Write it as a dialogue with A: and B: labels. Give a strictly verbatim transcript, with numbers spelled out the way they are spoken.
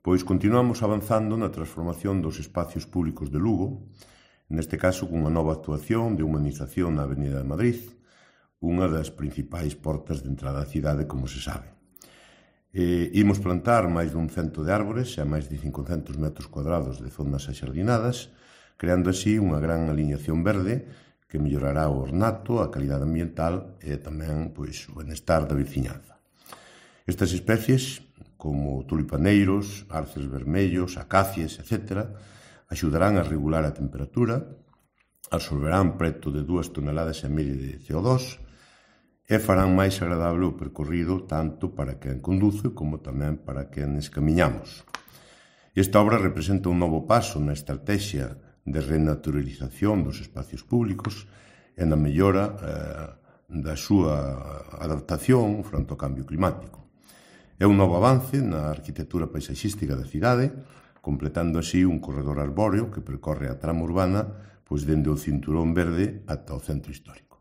A: Pois continuamos avanzando na transformación dos espacios públicos de Lugo, neste caso cunha nova actuación de humanización na Avenida de Madrid, unha das principais portas de entrada á cidade, como se sabe. E, imos plantar máis dun cento de árbores e a máis de cincocentos metros cuadrados de zonas axardinadas, creando así unha gran aliñación verde que mellorará o ornato, a calidade ambiental e tamén pois, o benestar da veciñanza. Estas especies, como tulipaneiros, arces vermellos, acacias, etcétera, axudarán a regular a temperatura, absorberán preto de dúas toneladas e media de C O dos e farán máis agradable o percorrido tanto para quen conduce como tamén para quenes camiñamos. Esta obra representa un novo paso na estrategia de renaturalización dos espacios públicos e na mellora eh, da súa adaptación fronte ao cambio climático. É un novo avance na arquitectura paisaxística da cidade, completando así un corredor arbóreo que percorre a trama urbana pois dende o cinturón verde ata o centro histórico.